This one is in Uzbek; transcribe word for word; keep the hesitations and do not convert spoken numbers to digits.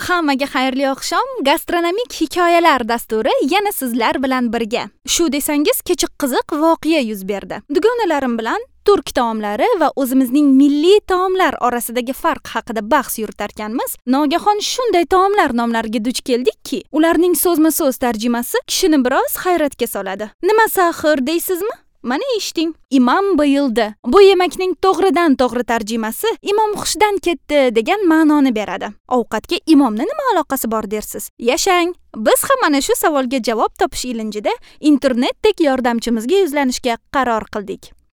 Hammaga xayrli oqshom. Gastronomik hikoyalar dasturi yana sizlar bilan birga. Shu desangiz, kecha qiziq voqea yuz berdi. Dugonalarim bilan turk taomlari va o'zimizning milliy taomlar orasidagi farq haqida bahs yuritarkanmiz, nogahon shunday taomlar nomlariga duch keldikki, ularning so'zma-so'z tarjimasi kishini biroz hayratga soladi. Nimasi axir deysizmi? Mana eshiting. Imam bayildi. Bu yemakning to'g'ridan to'g'ri tarjimasi imom hushdan ketdi degan ma'noni beradi. Ovqatga imomni nima aloqasi bor dersiz? Yashang. Biz ham mana shu savolga javob topish ilinjida internetdek yordamchimizga yuzlanishga qaror qildik.